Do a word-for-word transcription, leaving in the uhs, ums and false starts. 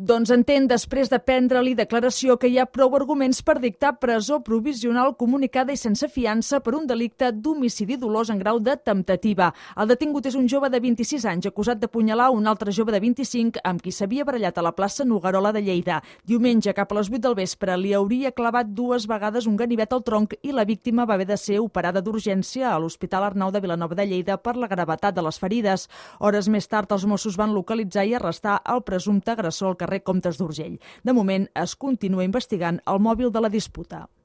Doncs entén, després de prendre-li declaració, que hi ha prou arguments per dictar presó provisional comunicada i sense fiança per un delicte d'homicidi dolós en grau de temptativa. El detingut és un jove de vint-i-sis anys acusat d'apunyalar un altre jove de vint-i-cinc amb qui s'havia barallat a la plaça Noguerola de Lleida. Diumenge, cap a les vuit del vespre, li hauria clavat dues vegades un ganivet al tronc i la víctima va haver de ser operada d'urgència a l'Hospital Arnau de Vilanova de Lleida per la gravetat de les ferides. Hores més tard, els Mossos van localitzar i arrestar el presumpte agressor al carrer Comtes d'Urgell. De moment, es continua investigant el mòbil de la disputa.